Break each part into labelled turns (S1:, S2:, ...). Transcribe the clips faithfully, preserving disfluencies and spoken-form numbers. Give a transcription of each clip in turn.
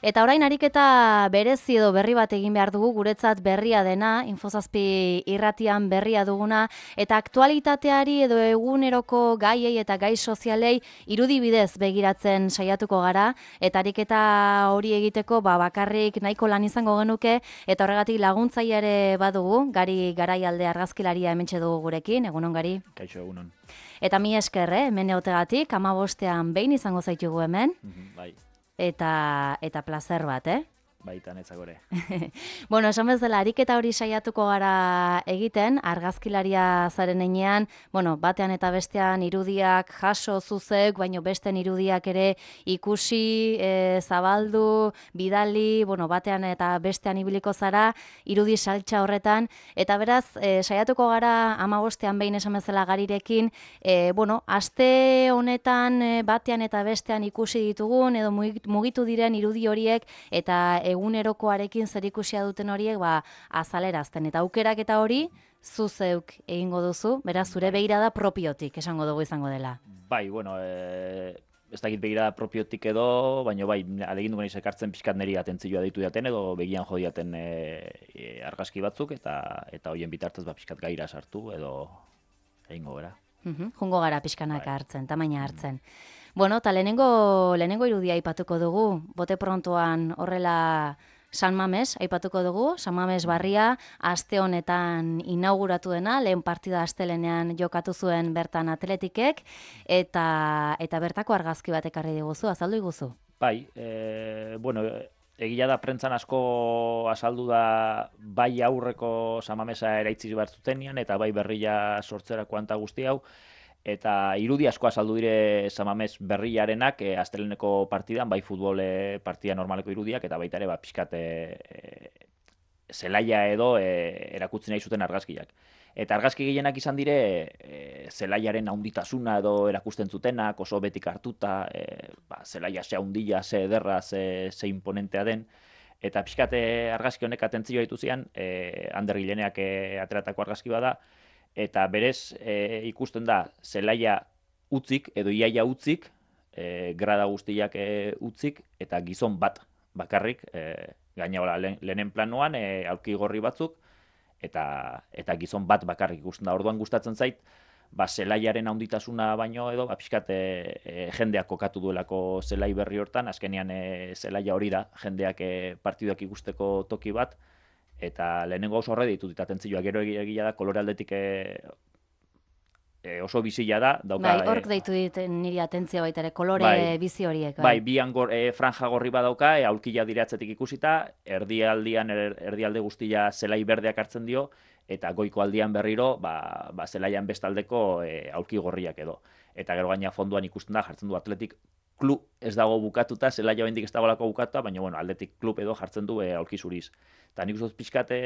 S1: Eta orain ariketa berezi edo berri bat egin behar dugu, guretzat berria dena, Infozazpi irratian berria duguna, eta aktualitateari edo eguneroko gaiei eta gai sozialei irudi bidez begiratzen saiatuko gara, eta ariketa hori egiteko ba, bakarrik nahiko lan izango genuke, eta horregatik laguntzaile ere badugu, Gari Garaialde argazkilaria hementxe dugu gurekin, egunon Gari.
S2: Kaixo, egunon.
S1: Eta mi esker, eh, hemen egotegatik, hamabostean behin izango zaitugu hemen.
S2: Bai.
S1: Eta, eta placer bat, eh?
S2: Baita netzakore.
S1: Bueno, esan bezala, ariketa hori saiatuko gara egiten, argazkilaria zaren enean, bueno, batean eta bestean irudiak jaso zuzek, baino besten irudiak ere ikusi, e, zabaldu, bidali, bueno, batean eta bestean ibiliko zara, irudi saltza horretan, eta beraz, e, saiatuko gara hamabostean behin esan bezala Garirekin, e, bueno, aste honetan e, batean eta bestean ikusi ditugun, edo mugitu diren irudi horiek, eta egunerokoarekin zerikusia duten horiek ba, azalerazten. Eta aukerak eta hori, zu zeuk egingo duzu, beraz, zure begirada propiotik esango dugu izango dela.
S2: Bai, bueno, e, ez dakit begirada propiotik edo, baina bai, alegin dugu ekartzen pixkat niri atentzioa deitu diaten edo begian jo diaten e, e, argazki batzuk, eta eta hoien bitartez ba, pixkat gaira sartu edo egingo gara.
S1: Uhum, jungo gara pixkanak bai. hartzen, tamaina hartzen. Bueno, eta lehenengo, lehenengo irudia aipatuko dugu, bote prontoan horrela San Mames aipatuko dugu, San Mames barria, aste honetan inauguratu dena, lehen partida astelenean jokatu zuen bertan atletikek, eta, eta bertako argazki bat ekarri diguzu, azaldu iguzu?
S2: Bai, e, bueno, egia da prentzan asko azaldu da bai aurreko San Mamesa eraitzi behar zutenian, eta bai berria sortzerako anta guzti hau, eta irudi asko azaldu dire San Mames berriarenak e, asteleneko partidan, bai futbol e, partida normaleko irudiak, eta baita ere ba, pixkat e, e, zelaia edo e, erakutzi nahi zuten argazkiak. Eta argazki gehienak izan dire e, zelaiaren haunditasuna edo erakusten zutenak, oso betik hartuta, e, ba, zelaia ze haundia, ze ederra, ze, ze imponentea den. Eta pixkat argazki honek atentzioa ditu zian, e, Ander Gileneak e, ateratako argazki bada, eta berez e, ikusten da zelaia utzik edo iaia utzik, e, grada guztiak e, utzik, eta gizon bat bakarrik, e, gaina le, lehenen planoan, e, aulki gorri batzuk, eta, eta gizon bat bakarrik ikusten da. Orduan gustatzen zait, ba, zelaiaren handitasuna baino edo, ba, pixkat e, e, jendeak kokatu duelako zelai berri hortan, azkenean e, zelaia hori da, jendeak e, partiduak ikusteko toki bat, eta lehenengo oso horre ditut eta atentzioa gero egia da, kolore aldetik e, e, oso bizila da. Dauka,
S1: bai, hork deitu dit niri atentzioa baita ere, kolore bai, bizi horiek.
S2: Bai, bai bian gor, e, franja gorri badauka, e, aulkia diratzetik ikusita, erdialdian, er, erdialde guztia zelai berdeak hartzen dio, eta goiko aldian berriro, ba, ba zelaian bestaldeko e, aulki gorriak edo. Eta gero gaina fonduan ikusten da, jartzen du atletik klub ez dago bukatuta, zelaia bendik ez dagoelako bukatuta, baina bueno, aldetik klub edo jartzen du e, aulki zuriz. Eta nik uste pixkat e,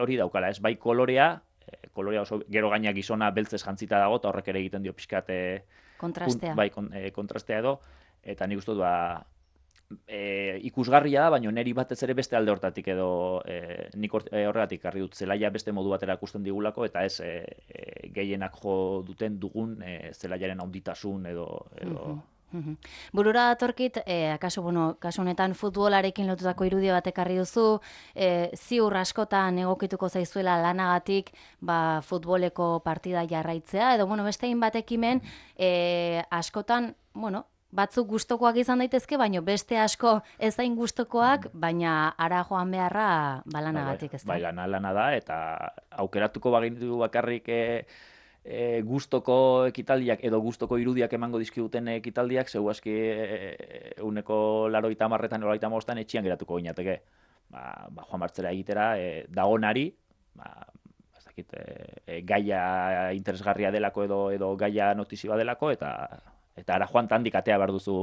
S2: hori daukala, ez bai kolorea, e, kolorea oso gero gaina gizona beltzez jantzita dago, eta horrek ere egiten dio pixkat e,
S1: kontrastea.
S2: Bai, kon, e, kontrastea edo, eta nik uste du ba, e, ikusgarria da, baina neri batez ere beste alde hortatik edo e, nik or, e, horregatik harri dut zelaia beste modu batera ikusten digulako, eta ez e, e, gehienak jo duten dugun e, zelaiaren handitasun edo... edo
S1: uh-huh. Uhum. Burura datorkit, eh, akaso, bueno, kasu honetan futbolarekin lotutako irudia bat ekarri duzu, eh, ziur askotan egokituko zaizuela lanagatik ba, futboleko partida jarraitzea, edo bueno, beste hainbat ekimen eh, askotan, bueno, batzuk gustokoak izan daitezke, baina beste asko ez hain gustokoak, baina ara joan beharra balanagatik, ez da?
S2: Bai, lana, lana da, eta aukeratuko bagindu bakarrik... E, E, gustoko ekitaldiak edo gustoko irudiak emango dizkiguten ekitaldiak, zeu aski e, uneko laroita marretan, laroita mostan etxian geratuko ginateke. Ba, ba, joan martzera egitera, e, dagonari, ba, ez dakit, e, gaia interesgarria delako edo edo gaia notizioa delako, eta eta ara joan tandik atea behar duzu,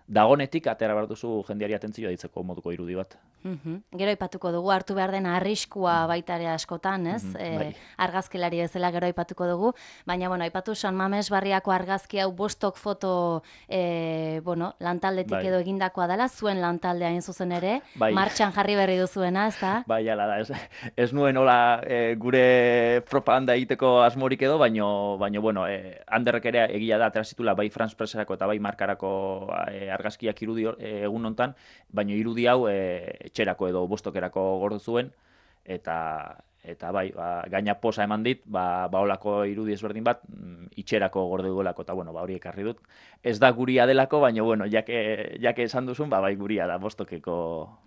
S2: dagonetik atera behar duzu jendeari atentzioa ditzeko moduko irudi bat.
S1: Uhum. Gero aipatuko dugu, hartu behar den arriskua baita ere askotan, ez?
S2: Uhum,
S1: e,
S2: bai.
S1: Argazkilari bezala gero aipatuko dugu, baina bueno, aipatu San Mames barriako argazki hau bostok foto e, bueno, lantaldetik
S2: bai.
S1: edo egindakoa dela, zuen lantaldea hain zuzen ere,
S2: bai.
S1: martxan jarri berri duzuena, ez da?
S2: Bai, ala da, ez, ez nuen hola e, gure propaganda egiteko asmorik edo, baino, baino bueno, e, Anderrek ere egia da, atera zitula bai France Presserako eta bai markarako e, argazkiak irudi egun hontan, baina irudi hau e, etxerako edo bostokerako gordu zuen, eta eta bai, ba, gaina posa eman dit, ba, ba olako irudi ezberdin bat, mm, itxerako gorde duelako, eta bueno, ba hori ekarri dut. Ez da guria delako, baina bueno, jake, jake esan duzun, ba bai guria da, bostokeko...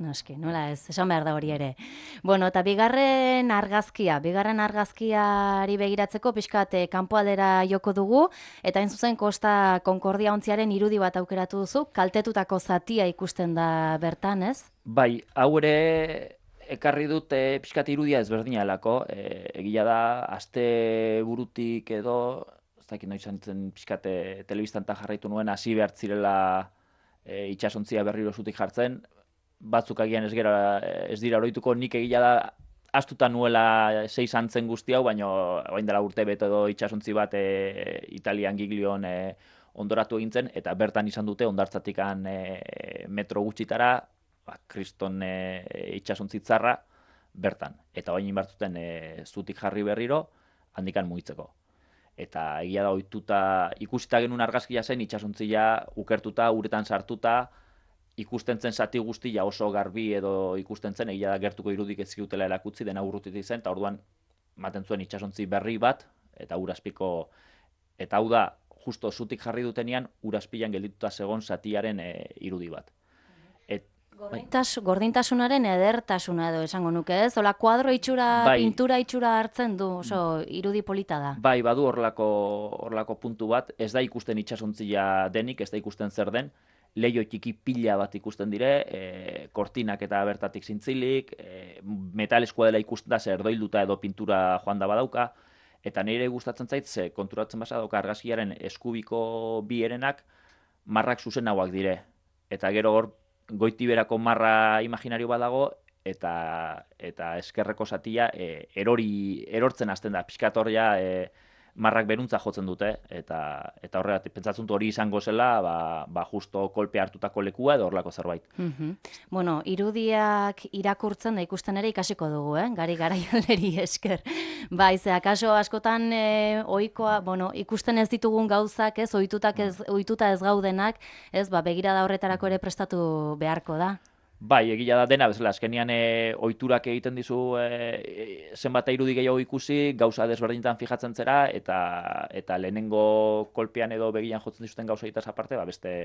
S1: Noski, nola ez, esan behar da hori ere. Bueno, eta bigarren argazkia, bigarren argazkiari begiratzeko pixkat kanpoaldera joko dugu, eta hain zuzen Kosta Concordia ontziaren irudi bat aukeratu duzu, kaltetutako zatia ikusten da bertan, ez?
S2: Bai, hau ere... Ekarri dut e, pixkat irudia ezberdina delako, e, egia da, aste burutik edo, ez dakit noiz zen pixkat e, telebistan eta jarraitu nuen, hasi behar zirela e, itxasontzia berriro zutik jartzen, batzuk agian ez, gera, ez dira oroituko, nik egia da, astuta nuela sei santzen guzti hau, baina orain dela urte beto edo itxasontzi bat e, Italian Giglion e, ondoratu egintzen, eta bertan izan dute ondartzatikan e, metro gutxitara, ba, kriston e, itxasontzitzarra bertan. Eta bain inbartzuten e, zutik jarri berriro, handikan mugitzeko. Eta egia da, ohituta ikusita genuen argazkia zen, itxasontzia ukertuta, uretan sartuta, ikusten zen zati guztia oso garbi edo ikusten zen, egia da gertuko irudik ez zigutela erakutzi, dena urrutitik zen, eta orduan maten zuen itxasontzi berri bat, eta urazpiko, eta hau da, justo zutik jarri dutenean, urazpilan geldituta zegon zatiaren e, irudi bat.
S1: Gordintas, gordintasunaren edertasuna edo esango nuke ez? Ola kuadro itxura,
S2: bai,
S1: pintura itxura hartzen du, oso irudi polita da.
S2: Bai, badu horlako, horlako puntu bat, ez da ikusten itsasontzia denik, ez da ikusten zer den, leio txiki pila bat ikusten dire, e, kortinak eta bertatik zintzilik, e, metalezkoa dela ikusten da, zer doilduta edo pintura joan da badauka, eta nire gustatzen zait, ze konturatzen basa dauka argazkiaren eskubiko bi herenak marrak zuzenauak dire, eta gero hor goitiberako marra imaginario badago, eta eta eskerreko zatia e, erori erortzen hasten da, pixkat hor ja e, marrak beruntza jotzen dute, eta eta horregatik pentsatzen dut hori izango zela, ba, ba justo kolpe hartutako lekua edo horlako zerbait.
S1: Mm-hmm. Bueno, irudiak irakurtzen da ikusten ere ikasiko dugu, eh? Gari garaialeri esker. Bai, ze akaso askotan e, ohikoa, bueno, ikusten ez ditugun gauzak, ez, ohitutak ez, ohituta ez gaudenak, ez, ba begirada horretarako ere prestatu beharko da.
S2: Bai, egia da dena, bezala, azkenian e, ohiturak egiten dizu e, zenbat irudi gehiago ikusi, gauza desberdinetan fijatzen zera, eta eta lehenengo kolpean edo begian jotzen dizuten gauza egitaz aparte, ba, beste,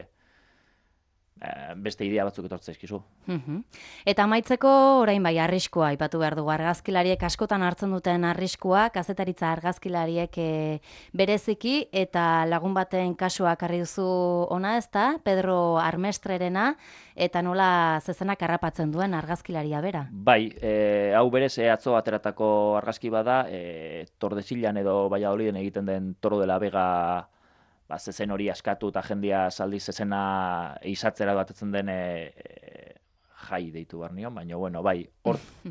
S2: beste idea batzuk etortzen zaizkizu.
S1: Mm-hmm. Eta amaitzeko orain bai arriskua aipatu behar dugu, argazkilariek askotan hartzen duten arriskua, kazetaritza argazkilariek e, bereziki, eta lagun baten kasua karri duzu ona, ezta, Pedro Armestrerena, eta nola zezenak harrapatzen duen argazkilaria bera.
S2: Bai, e, hau berez e, atzo ateratako argazki bada, e, Tordesillan edo Valladoliden egiten den Toro de la Vega ba, zezen hori askatu eta jendia zaldi zezena izatzera batetzen den e, e, jai deitu behar nion, baina bueno, bai,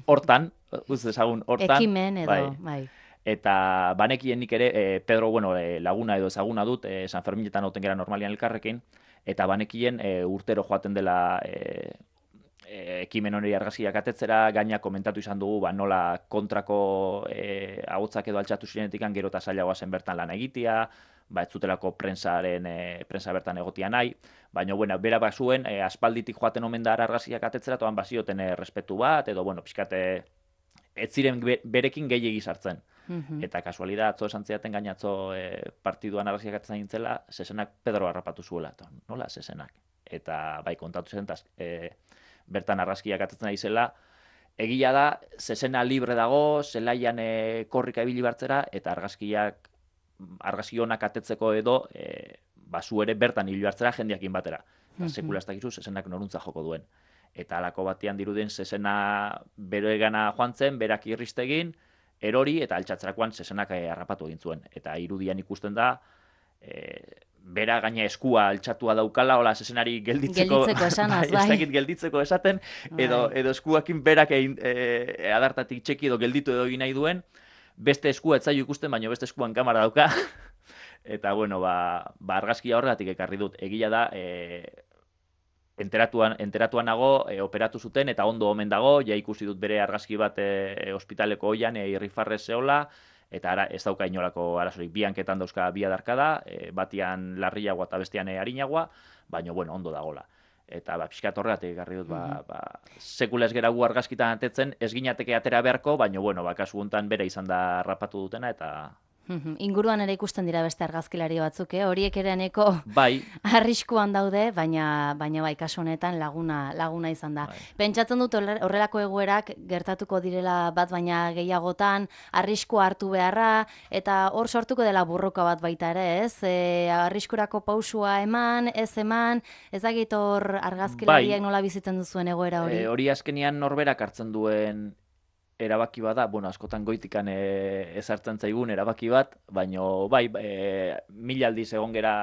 S2: hortan, uz ezagun hortan.
S1: Ekimen edo, bai. bai.
S2: Eta banekien nik ere, e, Pedro, bueno, e, laguna edo ezaguna dut, e, San Ferminetan hauten gara normalian elkarrekin, eta banekien e, urtero joaten dela e, e, ekimen hori argazkiak atetzera, gaina komentatu izan dugu, ba, nola kontrako e, ahotsak edo altxatu zirенetikan gero eta zailagoa zen bertan lan egitea, ba, ez zutelako prensaren, e, prensa bertan egotia nahi, baina, bueno, bera bazuen, e, aspalditik joaten omen da argazkiak atetzera, toan bazioten e, respetu bat, edo, bueno, pixkate, ez ziren berekin gehiegi sartzen.
S1: Mm-hmm.
S2: Eta kasualida, atzo esan ziaten gainatzo e, partiduan argazkiak atetzen gintzela, zezenak Pedro harrapatu zuela, eta nola zezenak? Eta, bai, kontatu zen, e, bertan argazkiak atetzen ari zela, egia da, zezena libre dago, zelaian e, korrika ibili bartzera, eta argazkiak argazki honak atetzeko edo e, basu ere bertan hil hartzera jendiakin batera. Mm-hmm. Sekula ez dakizu, zezenak noruntza joko duen. Eta alako batean dirudien zezena beroegana joan zen, berak irristegin, erori eta altxatzerakoan zezenak harrapatu egin zuen. Eta irudian ikusten da, e, bera gaina eskua altxatua daukala, hola zezenari gelditzeko,
S1: gelditzeko esanaz, bai.
S2: Ez dakit gelditzeko esaten, edo, edo eskuakin berak egin, e, adartatik txeki edo gelditu edo egin nahi duen, beste eskua ez zaio ikusten, baina beste eskuan kamera dauka. Eta, bueno, ba, ba argazkia horregatik ekarri dut. Egia da, e, enteratuan, enteratuan nago, e, operatu zuten, eta ondo omen dago, ja ikusi dut bere argazki bat e, ospitaleko oian, e, irrifarrez zehola, eta ara, ez dauka inolako arazorik, bi hanketan dauzka bi adarkada, e, batian larriagoa eta bestean arinagoa, baina, bueno, ondo dagola. Eta ba, pixkat horregatik garri dut, ba, ba, sekula ez gera gu argazkitan atetzen, ez ginateke atera beharko, baina, bueno, ba, kasu guntan bere izan da rapatu dutena, eta...
S1: Inguruan ere ikusten dira beste argazkilari batzuk, eh? Horiek ere neko
S2: bai.
S1: arriskuan daude, baina baina bai kasu honetan laguna laguna izan da. Bai. Pentsatzen dut horrelako egoerak gertatuko direla bat baina gehiagotan, arriskua hartu beharra eta hor sortuko dela burroka bat baita ere, ez? E, arriskurako pausua eman, ez eman, ez dakit hor argazkilariak bai. Nola bizitzen duzuen egoera hori?
S2: E, hori azkenian norberak hartzen duen erabaki bada, bueno, askotan goitikan e, ezartzen zaigun erabaki bat, baino bai, e, mila aldiz egon gera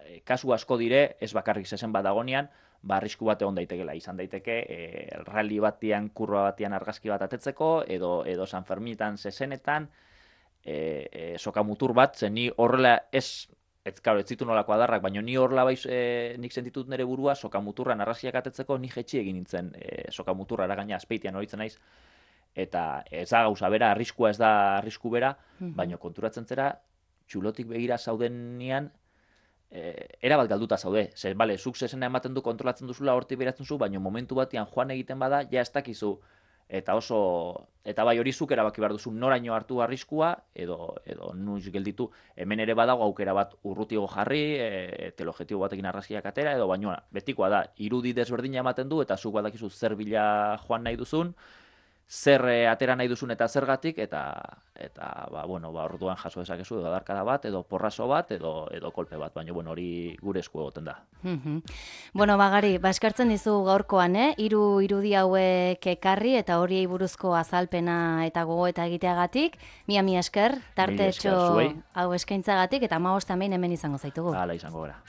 S2: e, kasu asko dire, ez bakarrik zezen bat dagonean, ba, arrisku bat egon daitekela, izan daiteke, e, rally batian, kurba batian argazki bat atetzeko, edo, edo San Ferminetan zezenetan, e, e, sokamutur bat, zen ni horrela ez, ez, karo, ez zitu nolako adarrak, baina ni horrela baiz, e, nik sentitut nire burua, sokamuturran arraziak atetzeko, ni jetxi egin nintzen e, sokamuturra eragaina azpeitian horitzen naiz, eta ez da gauza bera, arriskua ez da arrisku bera, baina konturatzen zera, txulotik begira zaudenean, e, erabat galduta zaude. Zer, bale, zuk zezena ematen du, kontrolatzen duzula, hortik beratzen zu, baina momentu batean joan egiten bada, ja ez dakizu, eta oso, eta bai hori zuk erabaki behar duzu noraino hartu arriskua, edo, edo nuiz gelditu, hemen ere badago aukera bat urrutigo jarri, e, teleobjektibo batekin arraziak atera, edo baina betikoa da, irudi desberdina ematen du, eta zuk badakizu zer bila joan nahi duzun, zer e, atera nahi duzun eta zergatik, eta, eta ba, bueno, ba, orduan jaso dezakezu, edo adarkada bat, edo porraso bat, edo, edo kolpe bat, baina bueno, hori gure esku egoten da.
S1: Bueno, Bagari, ba, eskartzen dizu gaurkoan, eh? Hiru irudi hauek ekarri, eta horiei buruzko azalpena eta gogoeta egiteagatik, mia mi esker, tartetxo hau eskaintzagatik, eta hamabost hemen hemen izango zaitugu.
S2: Hala izango gara.